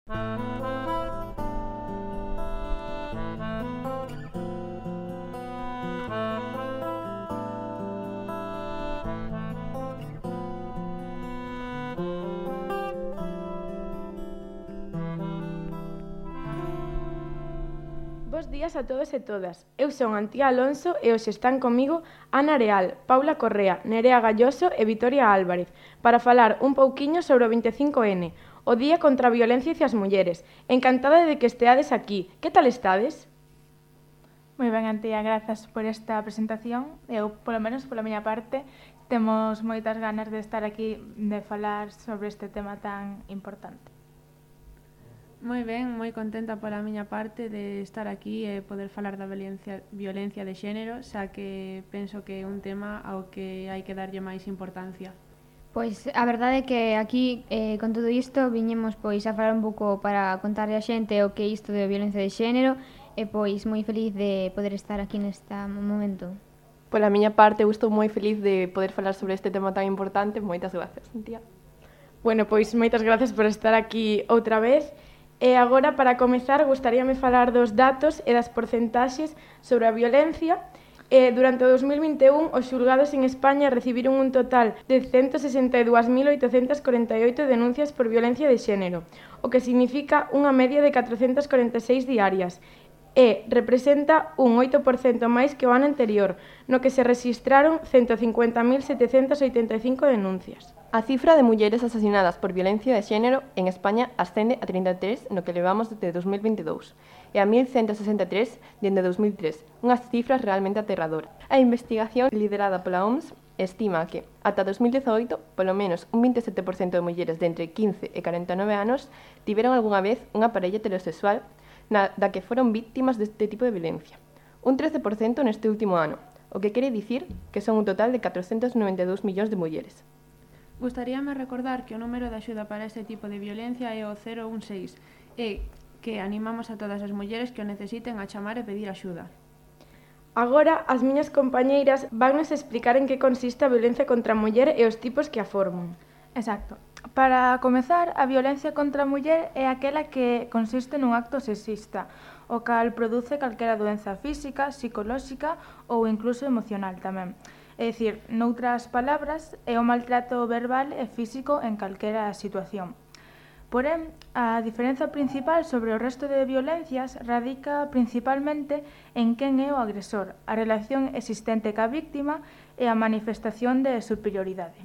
Bos días a todos e todas. Eu son Antía Alonso e hoxe están comigo Ana Areal, Paula Correa, Nerea Galloso e Vitoria Álvarez para falar un pouquiño sobre o 25N, o Día contra a Violencia hacia as Mulleres. Encantada de que esteades aquí. Que tal estades? Moi ben, Antía, grazas por esta presentación. Eu, polo menos pola miña parte, temos moitas ganas de estar aquí de falar sobre este tema tan importante. Moi ben, moi contenta pola miña parte de estar aquí e poder falar da violencia de xénero, xa que penso que é un tema ao que hai que darlle máis importancia. Pois a verdade é que aquí, con todo isto, viñemos a falar un pouco para contarle a xente o que é isto de violencia de xénero e pois moi feliz de poder estar aquí neste momento. Pola miña parte, eu estou moi feliz de poder falar sobre este tema tan importante. Moitas grazas, Antía. Bueno, pois moitas grazas por estar aquí outra vez. E agora, para comezar, gustaríame falar dos datos e das porcentaxes sobre a violencia. Durante o 2021, os xulgados en España recibiron un total de 162.848 denuncias por violencia de xénero, o que significa unha media de 446 diarias, e representa un 8% máis que o ano anterior, no que se rexistraron 150.785 denuncias. A cifra de mulleres asasinadas por violencia de xénero en España ascende a 33 no que levamos desde 2022 e a 1.163 dende 2003, unhas cifras realmente aterradoras. A investigación liderada pola OMS estima que, ata 2018, polo menos un 27% de mulleres de entre 15 e 49 anos tiveron algunha vez unha parella heterosexual da que foron víctimas deste tipo de violencia. Un 13% neste último ano, o que quere dicir que son un total de 492 millóns de mulleres. Gustaríame recordar que o número de axuda para este tipo de violencia é o 016 e que animamos a todas as mulleres que o necesiten a chamar e pedir axuda. Agora, as miñas compañeiras vannos explicar en que consiste a violencia contra a muller e os tipos que a forman. Exacto. Para comezar, a violencia contra a muller é aquela que consiste nun acto sexista, o cal produce calquera doenza física, psicolóxica ou incluso emocional tamén. É dicir, noutras palabras, é o maltrato verbal e físico en calquera situación. Porén, a diferenza principal sobre o resto de violencias radica principalmente en quen é o agresor, a relación existente ca víctima e a manifestación de superioridade.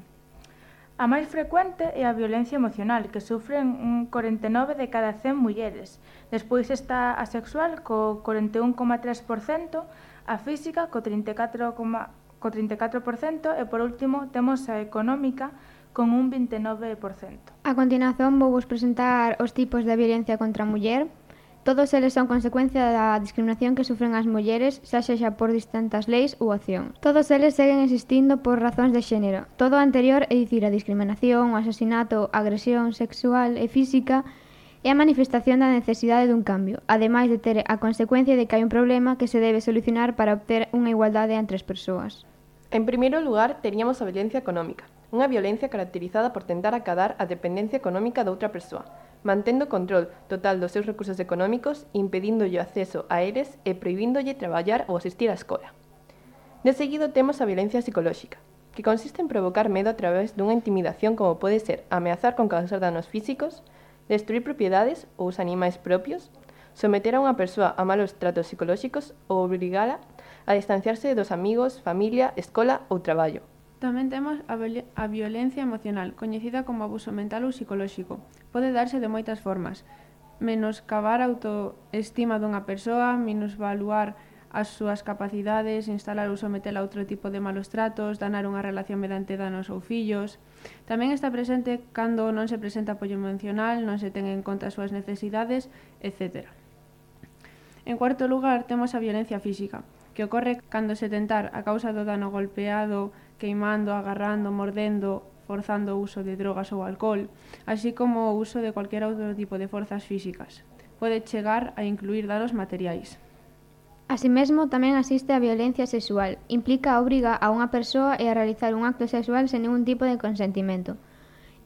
A máis frecuente é a violencia emocional, que sufren un 49 de cada 100 mulleres. Despois está a sexual, co 41,3%, a física, co 34% e, por último, temos a económica, con un 29%. A continuación vou vos presentar os tipos de violencia contra a muller. Todos eles son consecuencia da discriminación que sufren as mulleres, xa sexa por distintas leis ou accións. Todos eles seguen existindo por razóns de xénero. Todo o anterior, é dicir, a discriminación, o asasinato, a agresión sexual e física, é a manifestación da necesidade dun cambio, ademais de ter a consecuencia de que hai un problema que se debe solucionar para obter unha igualdade entre as persoas. En primeiro lugar, teríamos a violencia económica, unha violencia caracterizada por tentar acadar a dependencia económica de outra persoa, mantendo control total dos seus recursos económicos, impedíndolle o acceso a eles e prohibíndolle traballar ou asistir á escola. De seguido temos a violencia psicolóxica, que consiste en provocar medo a través dunha intimidación como pode ser ameazar con causar danos físicos, destruir propiedades ou os animais propios, someter a unha persoa a malos tratos psicolóxicos ou obrigala a distanciarse dos amigos, familia, escola ou traballo. Tamén temos a violencia emocional, coñecida como abuso mental ou psicolóxico. Pode darse de moitas formas. Menoscabar a autoestima dunha persoa, minusvaluar as súas capacidades, instalar ou someter a outro tipo de malos tratos, danar unha relación mediante danos ou fillos. Tamén está presente cando non se presenta apoio emocional, non se ten en conta as súas necesidades, etc. En cuarto lugar, temos a violencia física, que ocorre cando se tentar a causa do dano golpeado, queimando, agarrando, mordendo, forzando o uso de drogas ou alcohol, así como o uso de cualquier outro tipo de forzas físicas. Pode chegar a incluir danos materiais. Así mesmo, tamén existe a violencia sexual. Implica a obriga a unha persoa a realizar un acto sexual sen ningún tipo de consentimento.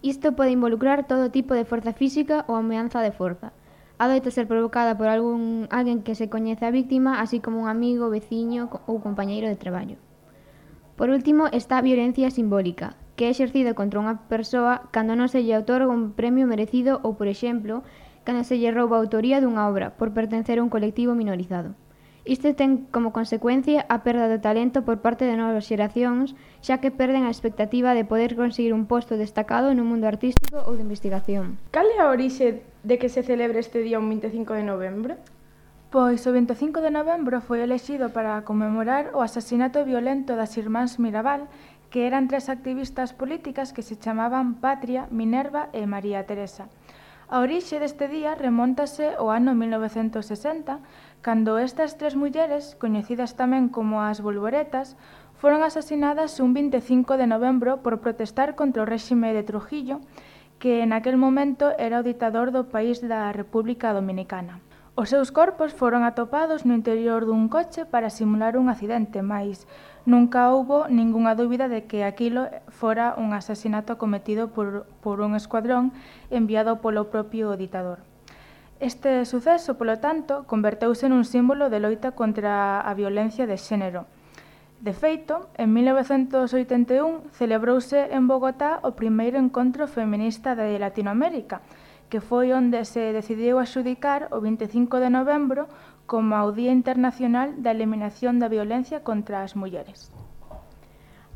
Isto pode involucrar todo tipo de forza física ou ameaza de forza. Adoita ser provocada por alguén que se coñece a víctima, así como un amigo, veciño ou compañeiro de traballo. Por último, está a violencia simbólica, que é exercida contra unha persoa cando non se lle outorga un premio merecido ou, por exemplo, cando se lle rouba a autoría dunha obra por pertencer a un colectivo minorizado. Isto ten como consecuencia a perda de talento por parte de novas xeracións, xa que perden a expectativa de poder conseguir un posto destacado no mundo artístico ou de investigación. Cal é a orixe de que se celebre este día un 25 de novembro? Pois o 25 de novembro foi elexido para conmemorar o asasinato violento das irmáns Mirabal, que eran 3 activistas políticas que se chamaban Patria, Minerva e María Teresa. A orixe deste día remóntase ao ano 1960, cando estas 3 mulleres, coñecidas tamén como as Bolboretas, foron asasinadas un 25 de novembro por protestar contra o réxime de Trujillo, que en aquel momento era o ditador do país da República Dominicana. Os seus corpos foron atopados no interior dun coche para simular un accidente, mais nunca houbo ningunha dúbida de que aquilo fora un asasinato cometido por un escuadrón enviado polo propio ditador. Este suceso, polo tanto, converteuse nun símbolo de loita contra a violencia de xénero. De feito, en 1981 celebrouse en Bogotá o primeiro encontro feminista de Latinoamérica, que foi onde se decidiu adxudicar o 25 de novembro como o Día Internacional da Eliminación da Violencia contra as Mulleres.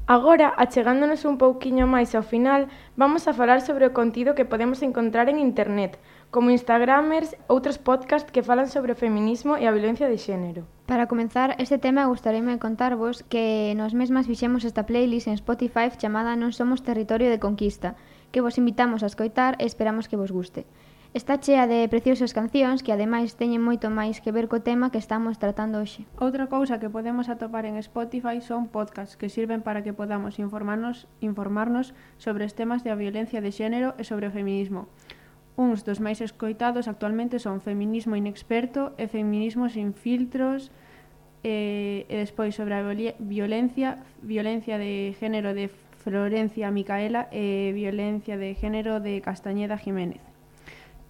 Agora, achegándonos un pouquiño máis ao final, vamos a falar sobre o contido que podemos encontrar en internet, como Instagramers, outros podcasts que falan sobre o feminismo e a violencia de xénero. Para comenzar este tema, gustaríame contarvos que nós mesmas fixemos esta playlist en Spotify chamada Non somos territorio de conquista, que vos invitamos a escoitar e esperamos que vos guste. Está chea de preciosas cancións que ademais teñen moito máis que ver co tema que estamos tratando hoxe. Outra cousa que podemos atopar en Spotify son podcasts que sirven para que podamos informarnos sobre os temas da violencia de xénero e sobre o feminismo. Uns dos máis escoitados actualmente son Feminismo Inexperto e Feminismo Sin Filtros, e despois sobre a violencia de género de Florencia Micaela e violencia de género de Castañeda Jiménez.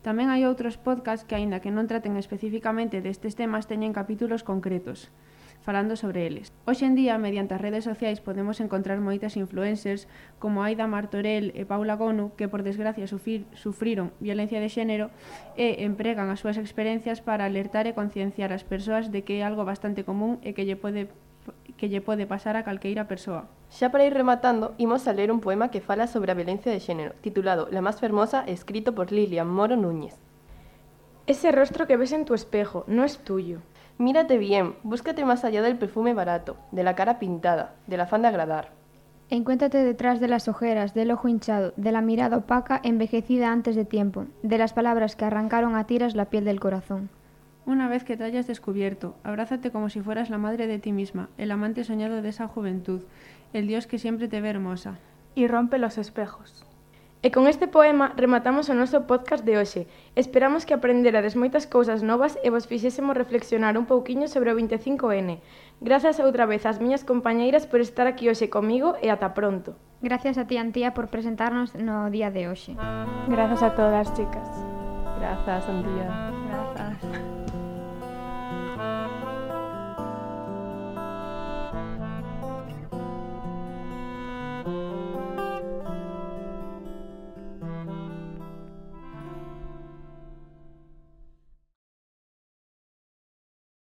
Tamén hai outros podcasts que, aínda que non traten especificamente destes temas, teñen capítulos concretos, falando sobre eles. Hoxe en día, mediante as redes sociais, podemos encontrar moitas influencers como Aida Martorell e Paula Gonu, que por desgracia sufriron violencia de xénero e empregan as súas experiencias para alertar e concienciar as persoas de que é algo bastante común e que lle pode pasar a calqueira persoa. Xa para ir rematando, imos a ler un poema que fala sobre a violencia de xénero, titulado La más fermosa, escrito por Lilian Moro Núñez. Ese rostro que ves en tu espejo no es tuyo. Mírate bien, búscate más allá del perfume barato, de la cara pintada, del afán de agradar. Encuéntrate detrás de las ojeras, del ojo hinchado, de la mirada opaca envejecida antes de tiempo, de las palabras que arrancaron a tiras la piel del corazón. Una vez que te hayas descubierto, abrázate como si fueras la madre de ti misma, el amante soñado de esa juventud, el Dios que siempre te ve hermosa. Y rompe los espejos. E con este poema rematamos o noso podcast de hoxe. Esperamos que aprenderades moitas cousas novas e vos fixésemos reflexionar un pouquiño sobre o 25N. Grazas outra vez ás miñas compañeiras por estar aquí hoxe comigo e ata pronto. Gracias a ti, Antía, por presentarnos no día de hoxe. Gracias a todas, chicas. Grazas, Antía. Grazas.